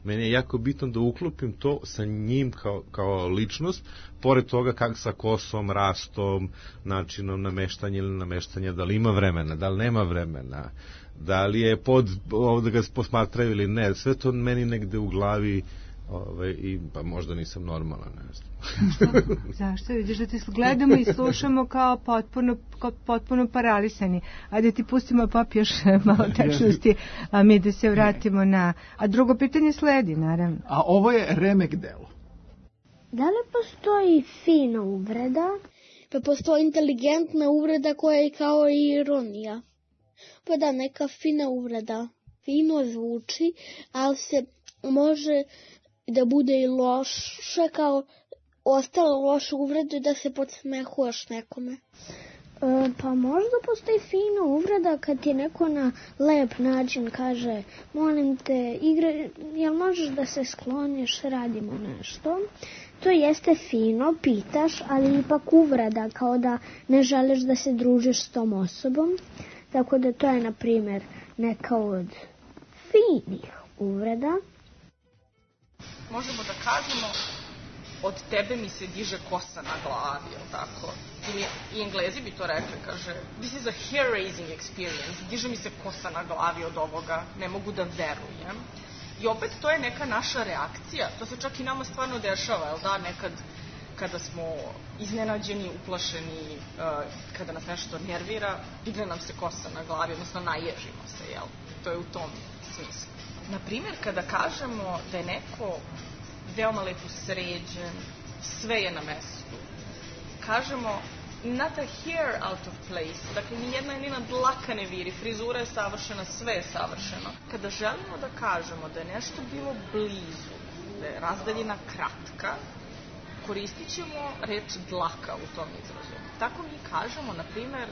Meni je jako bitno da uklopim to sa njim kao ličnost, pored toga kako sa kosom, rastom, načinom nameštanja ili nameštanja, da li ima vremena, da li nema vremena, da li je da ga posmatraju ili ne, sve to meni negde u glavi i pa možda nisam normalan, ne znam. Zašto? Vidiš da ti gledamo i slušamo kao potpuno paralisani. Ajde ti pustimo pop još malo tečnosti, a mi da se vratimo na... A drugo pitanje sledi, naravno. A ovo je remek delo. Da li postoji fina uvreda? Pa postoji inteligentna uvreda koja je kao ironija. Pa da, neka fina uvreda. Fino zvuči, ali se može da bude i loša, kao ostala loša uvreda da se podsmehuješ nekome. Pa možda postoji fina uvreda kad ti neko na lep način kaže molim te, jel možeš da se skloniš, radimo nešto. To jeste fino, pitaš, ali ipak uvreda, kao da ne želiš da se družiš s tom osobom. Tako da to je, na primjer, neka od finih uvreda. Možemo da kažemo, od tebe mi se diže kosa na glavi, jel tako? Ili i Englezi bi to rekli, kaže, this is a hair-raising experience, diže mi se kosa na glavi od ovoga, ne mogu da verujem. I opet to je neka naša reakcija, to se čak i nama stvarno dešava, jel da, nekad kada smo iznenađeni, uplašeni, kada nas nešto nervira, digne nam se kosa na glavi, odnosno naježimo se, jel? To je u tom smislu. Naprimjer, kada kažemo da je neko veoma lepo sređen, sve je na mestu, kažemo not a hair out of place, dakle nijedna dlaka ne viri, frizura je savršena, sve je savršeno. Kada želimo da kažemo da je nešto bilo blizu, da je razdaljina kratka, koristit ćemo reč dlaka u tom izrazu. Tako mi kažemo, na primjer,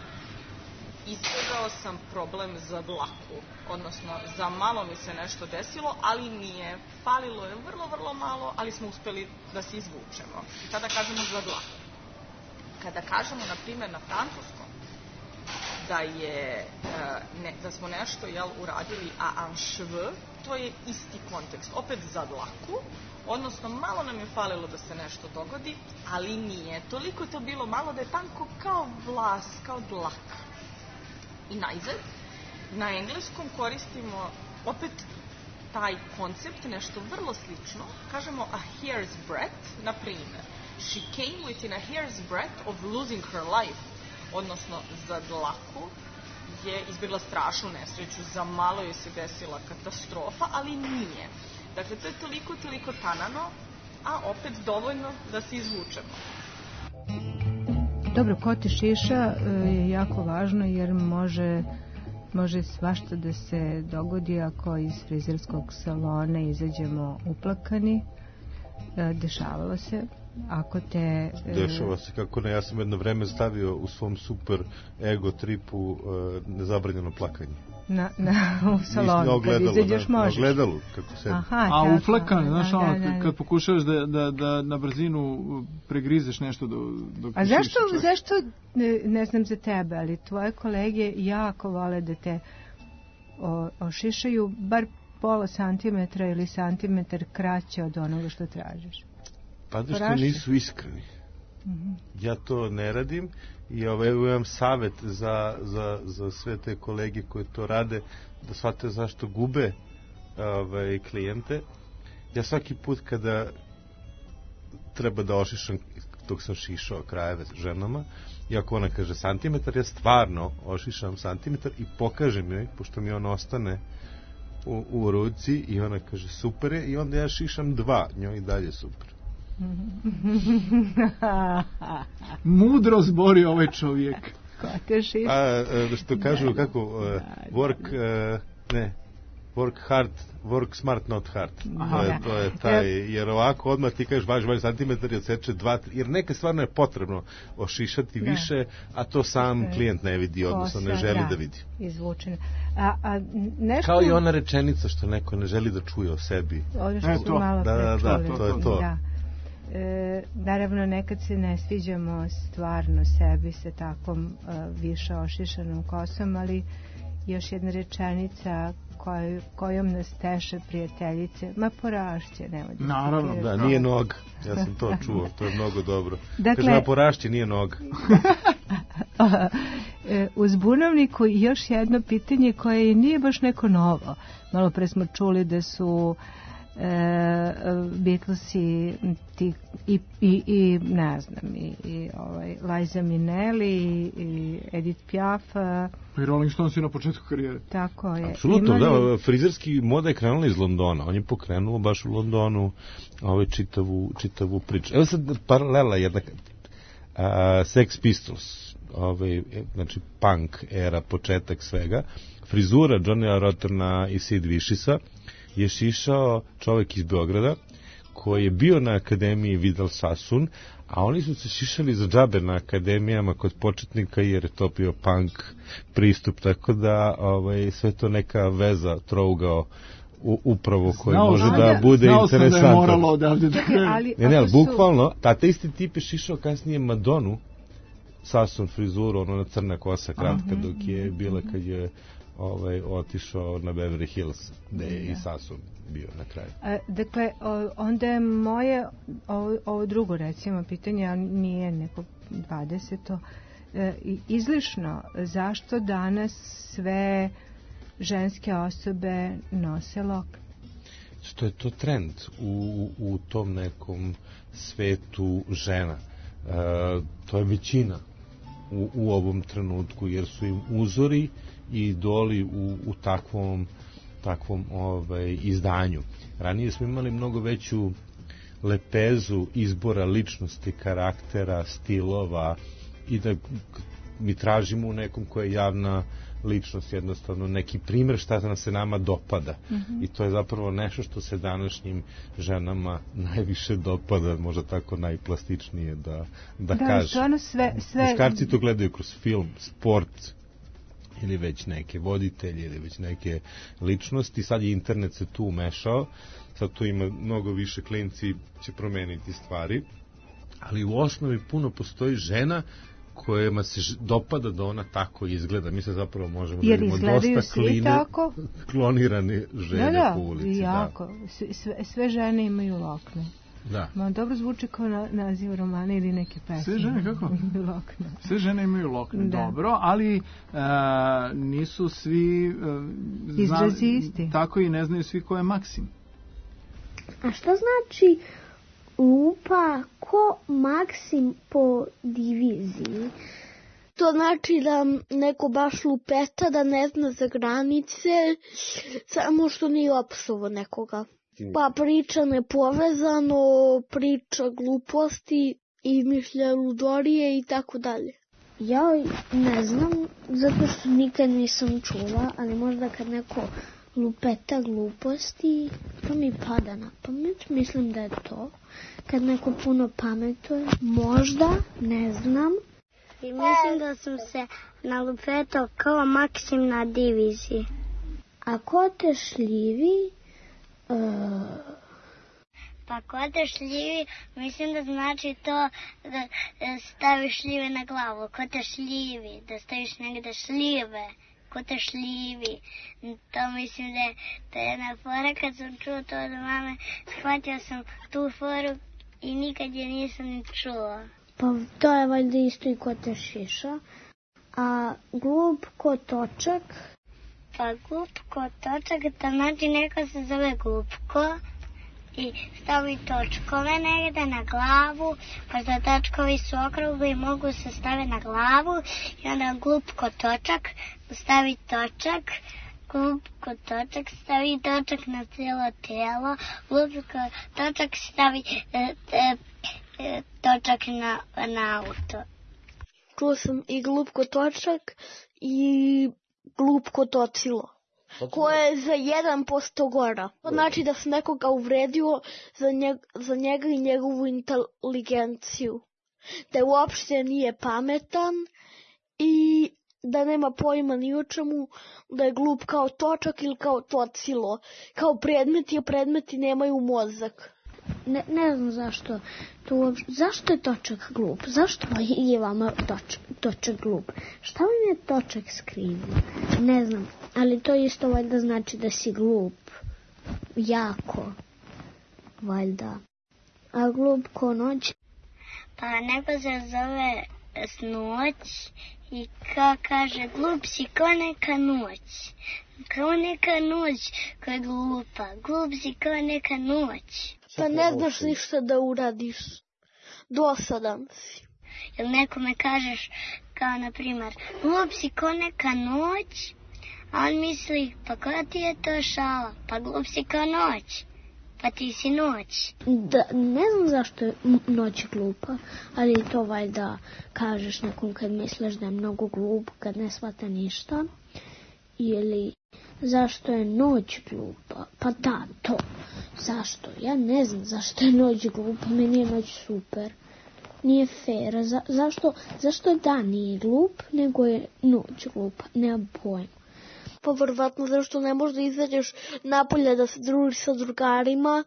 izbjegao sam problem za dlaku, odnosno za malo mi se nešto desilo, ali nije, falilo je vrlo malo, ali smo uspeli da se izvučemo. I tada kažemo za dlaku. Kada kažemo, na primjer, na francuskom, da smo nešto uradili a un cheveu, to je isti kontekst, opet za dlaku, odnosno malo nam je falilo da se nešto dogodi, ali nije. Toliko je to bilo malo da je tanko kao vlas, kao dlak. I najzad, na engleskom koristimo opet taj koncept, nešto vrlo slično, kažemo a hair's breadth, na primjer, she came within a hair's breadth of losing her life, odnosno za dlaku je izbjegla strašnu nesreću, za malo je se desila katastrofa, ali nije. Dakle, to je toliko tanano, a opet dovoljno da se izvučemo. Dobro, koti šiša je jako važno jer može svašta da se dogodi ako iz frizerskog salona izađemo uplakani. Dešavalo se ako te... Dešava se, kako ne, ja sam jedno vreme stavio u svom super ego tripu nezabranjeno plakanje. U salonu, kad izađeš možeš. Na ogledalu, kako se... A uflekan, znaš, kad pokušavaš da na brzinu pregrizeš nešto dok a zašto, ne znam za tebe, ali tvoje kolege jako vole da te ošišaju bar pola santimetra ili santimetar kraće od onoga što tražiš? Pa da što nisu iskreni. Ja to ne radim i imam savjet za sve te kolege koji to rade, da shvate zašto gube klijente. Ja svaki put kada treba da ošišam, dok sam šišao krajeve ženama, i ako ona kaže santimetar, ja stvarno ošišam santimetar i pokažem joj, pošto mi on ostane u ruci i ona kaže super je, i onda ja šišam 2, njoj i dalje super. Mudro zbori ovaj čovjek. Što kažu, kako work hard, work smart, not hard. To je taj, jer ovako odmah ti kažeš važi santimetar i odseče 2, jer neka stvarno je potrebno ošišati više, a to sam klijent ne vidi, odnosno ne želi da vidi. Izvučeno. Kao i ona rečenica što neko ne želi da čuje o sebi. To je to. Naravno, nekad se ne sviđamo stvarno sebi sa takvom više ošišanom kosom, ali još jedna rečenica kojom nas teše prijateljice, ma porašće, nemoj da... Naravno, da, nije noga. Ja sam to čuo, to je mnogo dobro. Kaže, ma porašće, nije noga. U Zbunovniku još jedno pitanje koje nije baš neko novo. Malo pre smo čuli da su Beatlesi i ne znam, i Liza Minnelli i Edith Piaf i Rolling Stones na početku karijere. Tako je. Apsolutno, da, frizerski moda je krenula iz Londona. On je pokrenuo baš u Londonu čitavu priču. Evo sad paralela jedna. Sex Pistols, znači punk era, početak svega. Frizura Johnnya Rotterna i Sid Vicious'a je šišao čovjek iz Beograda koji je bio na akademiji Vidal Sassoon, a oni su se šišali za džabe na akademijama kod početnika jer je to bio punk pristup, tako da sve to neka veza, trougao upravo koji može da bude interesantno. Znao sam da je moralo odavde da krenu. Ne, bukvalno, ta isti tip je šišao kasnije Madonu, Sassoon frizuru, ona crna kosa kratka, dok je bila kad je otišao na Beverly Hills, gde je i Sassoon bio na kraju. Dakle, onda je moje ovo drugo, recimo, pitanje, a nije neko 20. Izlišno, zašto danas sve ženske osobe nose lokne? Što je to trend u tom nekom svetu žena. To je većina u ovom trenutku, jer su im uzori i idoli u takvom izdanju. Ranije smo imali mnogo veću lepezu izbora ličnosti, karaktera, stilova i da mi tražimo u nekom koja je javna ličnost, jednostavno neki primjer šta nam se nama dopada. I to je zapravo nešto što se današnjim ženama najviše dopada, možda tako najplastičnije da kaže. Muškarci to gledaju kroz film, sport, ili već neke voditelje, ili već neke ličnosti. Sad je internet se tu umešao, sad tu ima mnogo više, klinci će promeniti stvari, ali u osnovi puno postoji žena kojima se dopada da ona tako izgleda. Mi se zapravo možemo da imamo dosta klonirane žene po ulici. Jako. Sve žene imaju lokne. Da. Dobro zvuči kao naziv romana ili neke pesme. Sve žene kako? Lokne. Sve žene imaju lokne, dobro, ali nisu svi izrazi isti. Tako i ne znaju svi ko je Maksim. A šta znači lupa ko Maksim po diviziji? To znači da neko baš lupeta, da ne zna za granice, samo što nije opsovo nekoga. Pa priča nepovezano, priča gluposti, izmišlja ludorije i tako dalje. Ja ne znam, zato što nikad nisam čula, ali možda kad neko lupeta gluposti, to mi pada na pamet. Mislim da je to. Kad neko puno pametuje, možda, ne znam. I mislim da sam se nalupetao kao Maksim na diviziji. A ko te šljivi? Pa ko te šljivi, mislim da znači to da staviš šljive na glavu. Ko te šljivi, da staviš negde šljive. Ko te šljivi. To mislim da je jedna fora. Kad sam čuo to od mame, shvatio sam tu foru i nikad je nisam ni čuo. Pa to je valjda isto i ko te šiša. A glup ko točak? Pa glup ko točak, to znači neko se zove glupko i stavi točkove negde na glavu, pa da točkovi su okrugli i mogu se staviti na glavu i onda glup ko točak stavi točak, glup ko točak stavi točak na cijelo tijelo, glup ko točak stavi točak na auto. Čuo sam i glup ko točak i glup ko tocilo, koje je za 1% gora. To znači da sam nekoga uvredio za njega i njegovu inteligenciju. Da uopšte nije pametan i da nema pojma ni o čemu, da je glup kao točak ili kao tocilo. Kao predmeti, a predmeti nemaju mozak. Ne znam zašto. Zašto je točak glup? Zašto je vama točak glup? Šta vam je točak skrivio? Ne znam, ali to isto valjda znači da si glup. Jako. Valjda. A glup ko noć? Pa neko se zove Snoć i kaže glup si ko neka noć. Kao neka noć koja je glupa. Glup si kao neka noć. Pa ne znaš ništa da uradiš. Dosadan si. Ili nekome kažeš kao na primjer glup si ko neka noć, a on misli pa koja ti je to šala? Pa glup si kao noć. Pa ti si noć. Ne znam zašto je noć glupa, ali to valjda kažeš nekom kad misliš da je mnogo glup, kad ne shvata ništa. Ili zašto je noć glupa? Pa da, to. Zašto? Ja ne znam zašto je noć glupa, meni je noć super. Nije fair. Zašto dan nije glup, nego je noć glupa? Nemam pojma. Pa verovatno zašto ne možeš da izađeš napolje da se družiš sa drugarima,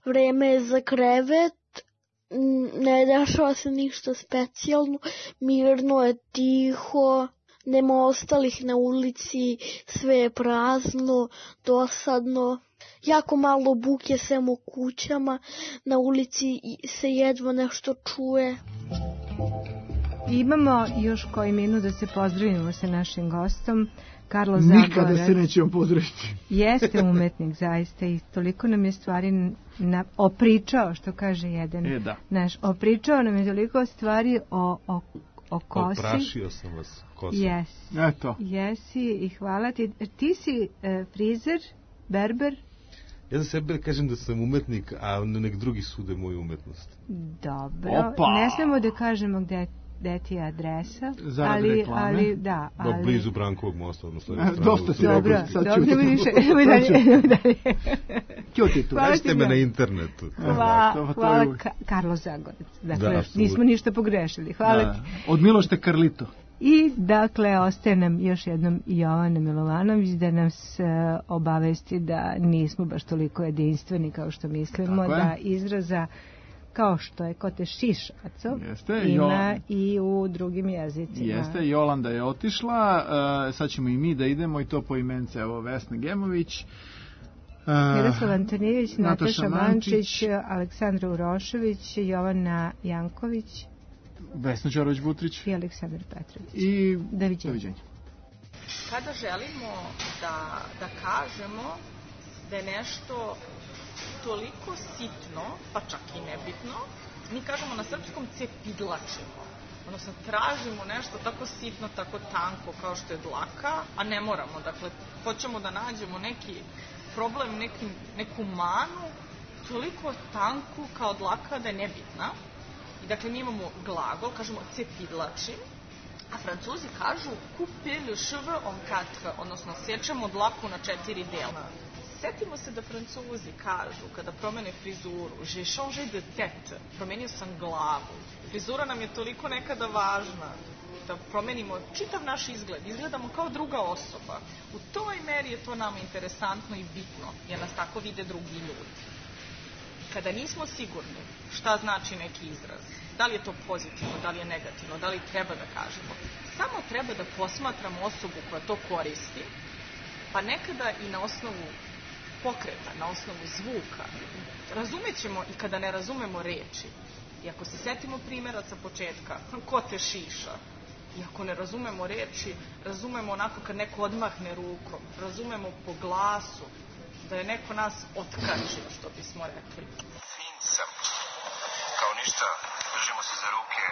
vreme je za krevet, ne dešava se ništa specijalno, mirno je, tiho, nema ostalih na ulici, sve je prazno, dosadno. Jako malo buke sem u kućama, na ulici se jedva nešto čuje. Imamo još koji minut da se pozdravimo sa našim gostom. Karlo Zagorac. Nikada se nećemo pozdraviti. Jeste umetnik zaista i toliko nam je stvari opričao, što kaže jedan naš. Opričao nam je toliko stvari o kosi. Oprašio sam vas kosom. Eto. Jesi i hvala ti. Ti si frizer, berber? Ja za sebe kažem da sam umetnik, a nek drugi sude moju umetnost. Dobro. Ne smemo da kažemo gde ti je adresa. Zarad reklame. Ali, da, ali... Blizu Brankovog mosta, odnosno... Dosta si rekao, sad ću ti. Nađite me na internetu. Hvala Karlo Zagorac. Dakle, nismo ništa pogrešili. Hvala ti. Od Milošte Karlito. I, dakle, ostaje nam još jednom Jovana Milovanović da nas obavesti da nismo baš toliko jedinstveni kao što mislimo, da izraza kao što je kote šišaco ima i u drugim jezicima. Jeste, Jolanda je otišla, sad ćemo i mi da idemo i to po imence, evo Vesna Gemović, Miroslav Antonijević, Nataša Mančić, Aleksandra Urošević, Jovana Janković, Vesna Đorović-Butrić i Aleksandar Petrović. I doviđenja. Kada želimo da kažemo da je nešto toliko sitno, pa čak i nebitno, mi kažemo na srpskom cepidlačimo. Odnosno, tražimo nešto tako sitno, tako tanko kao što je dlaka, a ne moramo. Dakle, hoćemo da nađemo neki problem, neku manu, toliko tanku kao dlaka da je nebitna. I dakle, mi imamo glagol, kažemo cepidlačim, A Francuzi kažu couper le cheveu en quatre, odnosno sečemo dlaku na 4 dela. Setimo se da Francuzi kažu kada promene frizuru, j'ai changé de tête, promenio sam glavu. Frizura nam je toliko nekada važna da promenimo čitav naš izgled, izgledamo kao druga osoba. U toj meri je to nama interesantno i bitno, jer nas tako vide drugi ljudi. Kada nismo sigurni šta znači neki izraz, da li je to pozitivno, da li je negativno, da li treba da kažemo, samo treba da posmatramo osobu koja to koristi, pa nekada i na osnovu pokreta, na osnovu zvuka. Razumećemo i kada ne razumemo reči. I ako se setimo primjera sa početka, ko te šiša, i ako ne razumemo reči, razumemo onako kad neko odmahne rukom, razumemo po glasu, da je neko nas otkačio, što bismo rekli. Fin sam. Kao ništa, držimo se za ruke,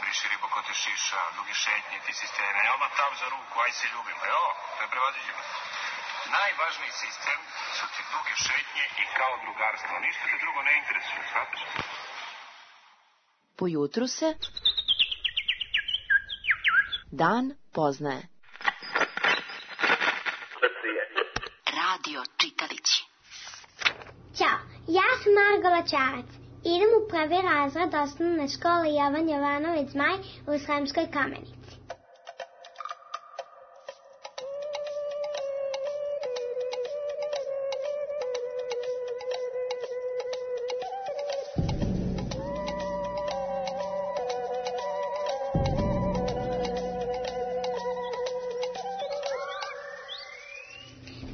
briši ribo ko te šiša, duge šetnje, ti sisteme, odmah tam za ruku, aj se ljubimo, jo, to je prevaziđeno. Najvažniji sistem su ti duge šetnje i kao drugarstvo, ništa te drugo ne interesuje, shvataš? Po jutru se dan poznaje. Radio čitalići. Ćao, ja sam Margola Čarac. Idem u prvi razred osnovne škole Jovan Jovanović Zmaj u Sremskoj Kamenici.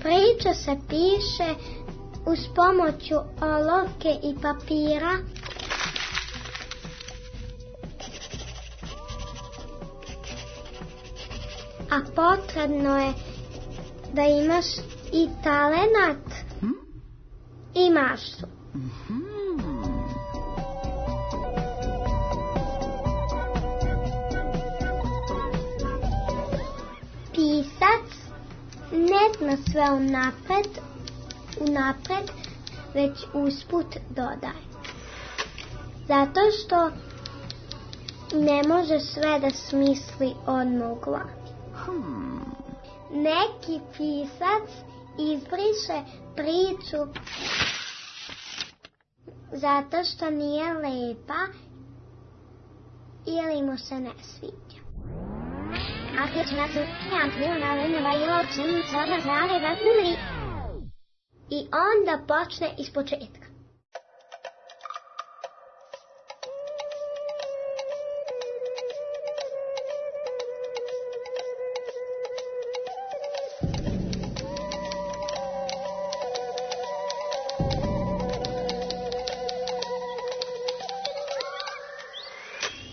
Priča se piše uz pomoću olovke i papira, a potrebno je da imaš i talenat i maštu. Pisac ne zna sve unapred, već usput dodaje. Zato što ne može sve da smisli odmah u glavi. Neki pisac izbriše priču zato što nije lepa ili mu se ne sviđa. I onda počne ispočetka.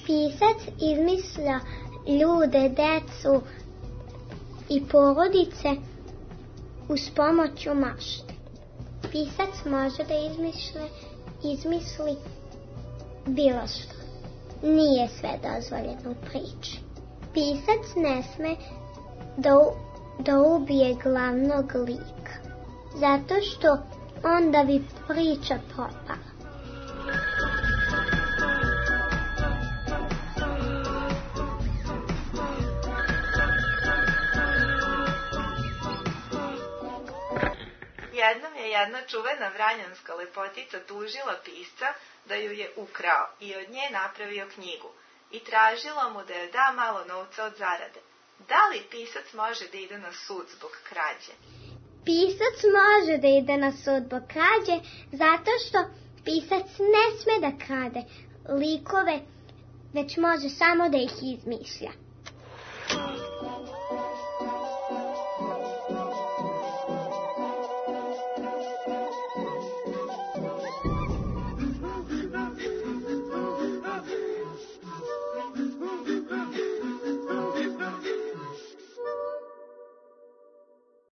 Pisac izmišlja ljude, decu i porodice uz pomoću mašte. Pisac može da izmisli bilo što. Nije sve dozvoljeno u priči. Pisac ne sme da ubije glavnog lika, zato što onda bi priča propala. Jednom je jedna čuvena vranjanska lepotica tužila pisca da ju je ukrao i od nje napravio knjigu i tražila mu da joj da malo novca od zarade. Da li pisac može da ide na sud zbog krađe? Pisac može da ide na sud zbog krađe zato što pisac ne sme da krade likove, već može samo da ih izmišlja.